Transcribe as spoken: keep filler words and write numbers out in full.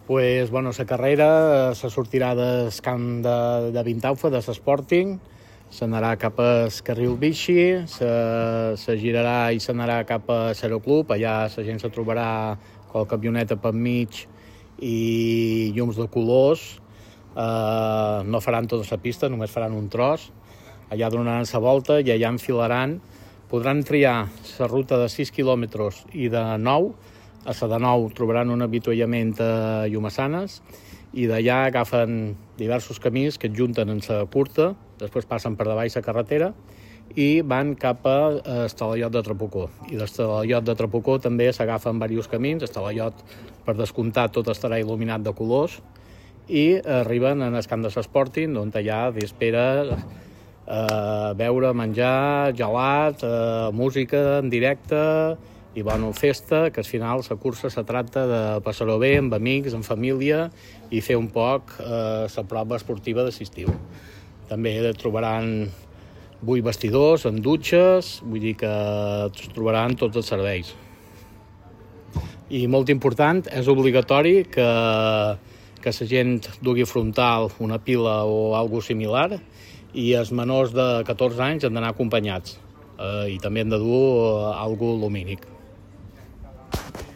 Pues, bueno, la carrera se sortirà del camp de, de Vintaufa, de l'Sporting, s'anarà cap al carril bici, se, se girarà i s'anarà cap a l'Aeroclub, allà la gent se trobarà amb camioneta per mig i llums de colors. Eh, no faran tota la pista, només faran un tros. Allà donaran la volta i allà enfilaran. Podran triar la ruta de sis quilòmetres i de nou. A la de nou trobaran un avituallament a Llumassanes i d'allà agafen diversos camins que es junten en la curta, després passen per davall la carretera i van cap a Estalaiot de Trapucó. I d'Estalaiot de Trapucó també s'agafen diversos camins. Estalaiot, per descomptat, tot estarà il·luminat de colors i arriben en el camp de l'Sporting, on allà espera eh, beure, menjar, gelat, eh, música en directe i bueno, festa, que al final la cursa se tracta de passar-ho bé amb amics, amb família i fer un poc eh, la prova esportiva d'estiu. També trobaran vuit vestidors amb dutxes, vull dir que trobaran tots els serveis. I molt important, és obligatori que, que la gent dugui frontal una pila o alguna similar i els menors de catorze anys han d'anar acompanyats eh, i també han de dur alguna lumínic.